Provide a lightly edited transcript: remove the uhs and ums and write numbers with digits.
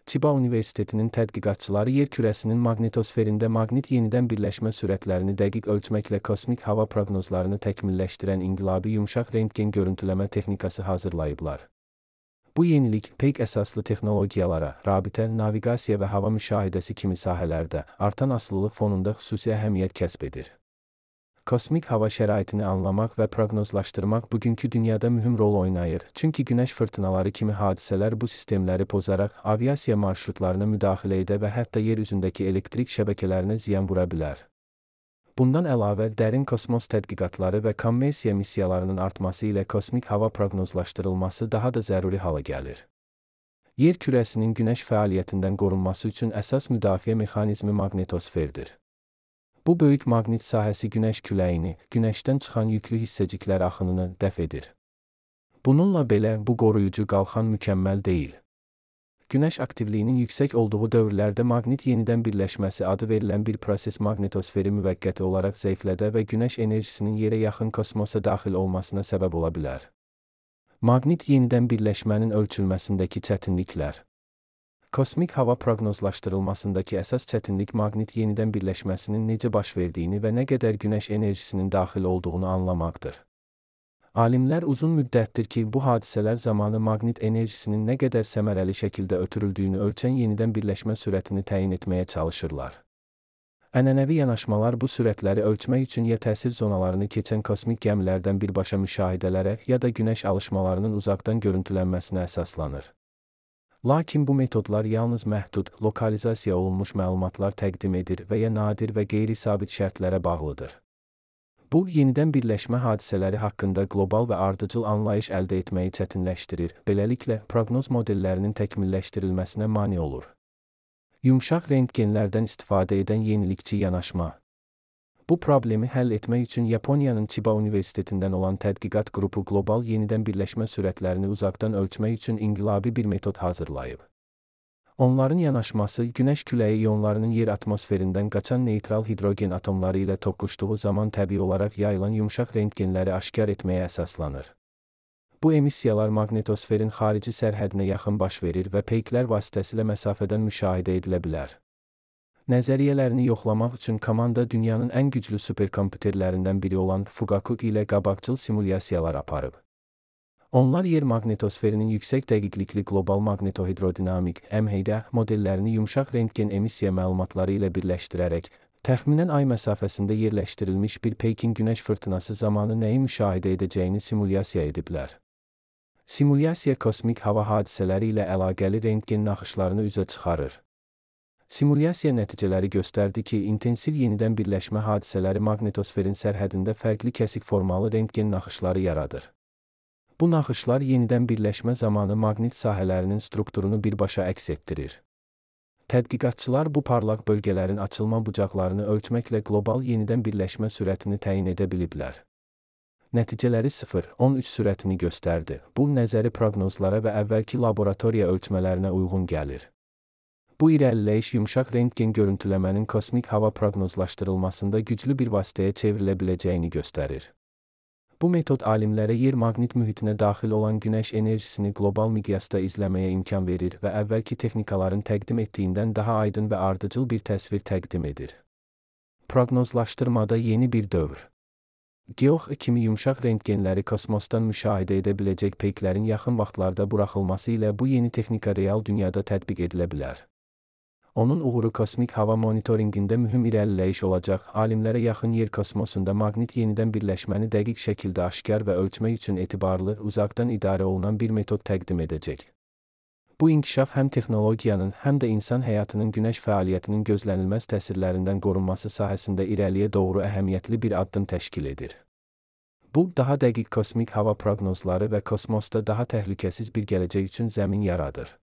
Chiba Universitetinin tədqiqatçıları yer kürəsinin maqnitosferində maqnit yenidən birləşmə sürətlərini dəqiq ölçməklə kosmik hava proqnozlarını təkmilləşdirən inqilabi yumşaq rentgen görüntüləmə texnikası hazırlayıblar. Bu yenilik peyk əsaslı texnologiyalara, rabitə, naviqasiya və hava müşahidəsi kimi sahələrdə artan asılılıq fonunda xüsusi əhəmiyyət kəsb edir. Kosmik hava şəraitini anlamaq və proqnozlaşdırmaq bugünkü dünyada mühüm rol oynayır, çünki günəş fırtınaları kimi hadisələr bu sistemləri pozaraq aviasiya marşrutlarına müdaxilə edə və hətta yer üzündəki elektrik şəbəkələrinə ziyan vura bilər. Bundan əlavə, dərin kosmos tədqiqatları və kommersiya missiyalarının artması ilə kosmik hava proqnozlaşdırılması daha da zəruri hala gəlir. Yer kürəsinin günəş fəaliyyətindən qorunması üçün əsas müdafiə mexanizmi maqnitosferdir. Bu böyük maqnit sahəsi günəş küləyini, günəşdən çıxan yüklü hissəciklər axınını dəf edir. Bununla belə, bu qoruyucu qalxan mükəmməl deyil. Günəş aktivliyinin yüksək olduğu dövrlərdə maqnit yenidən birləşməsi adı verilən bir proses maqnitosferi müvəqqəti olaraq zəiflədə və günəş enerjisinin yerə yaxın kosmosa daxil olmasına səbəb ola bilər. Maqnit yenidən birləşmənin ölçülməsindəki çətinliklər. Kosmik hava proqnozlaşdırılmasındakı əsas çətinlik maqnit yenidən birləşməsinin necə baş verdiyini və nə qədər günəş enerjisinin daxil olduğunu anlamaqdır. Alimlər uzun müddətdir ki, bu hadisələr zamanı maqnit enerjisinin nə qədər səmərəli şəkildə ötürüldüyünü ölçən yenidən birləşmə sürətini təyin etməyə çalışırlar. Ənənəvi yanaşmalar bu sürətləri ölçmək üçün ya təsir zonalarını keçən kosmik gəmilərdən birbaşa müşahidələrə ya da günəş alışmalarının uzaqdan görüntülənməsinə əsaslanır. Lakin bu metodlar yalnız məhdud, lokalizasiya olunmuş məlumatlar təqdim edir və ya nadir və qeyri-sabit şərtlərə bağlıdır. Bu, yenidən birləşmə hadisələri haqqında qlobal və ardıcıl anlayış əldə etməyi çətinləşdirir, beləliklə, proqnoz modellərinin təkmilləşdirilməsinə mane olur. Yumşaq rentgenlərdən istifadə edən yenilikçi yanaşma. Bu problemi həll etmək üçün Yaponiyanın Chiba Universitetindən olan tədqiqat qrupu qlobal yenidən birləşmə sürətlərini uzaqdan ölçmək üçün inqilabi bir metod hazırlayıb. Onların yanaşması günəş küləyi ionlarının yer atmosferindən qaçan neytral hidrogen atomları ilə toqquşduğu zaman təbii olaraq yayılan yumşaq rentgenləri aşkar etməyə əsaslanır. Bu emissiyalar maqnitosferin xarici sərhədinə yaxın baş verir və peyklər vasitəsilə məsafədən müşahidə edilə bilər. Nəzəriyyələrini yoxlamaq üçün komanda dünyanın ən güclü superkompüterlərindən biri olan Fugaku ilə qabaqcıl simulyasiyalar aparıb. Onlar yer maqnitosferinin yüksək dəqiqlikli qlobal maqnitohidrodinamik (MHD) modellərini yumşaq rentgen emissiya məlumatları ilə birləşdirərək, təxminən ay məsafəsində yerləşdirilmiş bir peykin günəş fırtınası zamanı nəyi müşahidə edəcəyini simulyasiya ediblər. Simulyasiya kosmik hava hadisələri ilə əlaqəli rentgen naxışlarını üzə çıxarır. Simulyasiya nəticələri göstərdi ki, intensiv yenidən birləşmə hadisələri maqnitosferin sərhədində fərqli kəsik formalı rentgen naxışları yaradır. Bu naxışlar yenidən birləşmə zamanı maqnit sahələrinin strukturunu birbaşa əks etdirir. Tədqiqatçılar bu parlaq bölgələrin açılma bucaqlarını ölçməklə qlobal yenidən birləşmə sürətini təyin edə biliblər. Nəticələri 0,13 sürətini göstərdi. Bu, nəzəri proqnozlara və əvvəlki laboratoriya ölçmələrinə uyğun gəlir. Bu irəliləyiş yumşaq rentgen görüntüləmənin kosmik hava proqnozlaşdırılmasında güclü bir vasitəyə çevrilə biləcəyini göstərir. Bu metod alimlərə yer maqnit mühitinə daxil olan günəş enerjisini qlobal miqyasda izləməyə imkan verir və əvvəlki texnikaların təqdim etdiyindən daha aydın və ardıcıl bir təsvir təqdim edir. Proqnozlaşdırmada yeni bir dövr. Geox kimi yumşaq rentgenləri kosmosdan müşahidə edə biləcək peyklərin yaxın vaxtlarda buraxılması ilə bu yeni texnika real dünyada tətbiq edilə bilər. Onun uğuru kosmik hava monitorinqində mühüm irəliləyiş olacaq, alimlərə yaxın yer kosmosunda maqnit yenidən birləşməni dəqiq şəkildə aşkar və ölçmək üçün etibarlı, uzaqdan idarə olunan bir metod təqdim edəcək. Bu inkişaf həm texnologiyanın, həm də insan həyatının günəş fəaliyyətinin gözlənilməz təsirlərindən qorunması sahəsində irəliyə doğru əhəmiyyətli bir addım təşkil edir. Bu, daha dəqiq kosmik hava proqnozları və kosmosda daha təhlükəsiz bir gələcək üçün zəmin yaradır.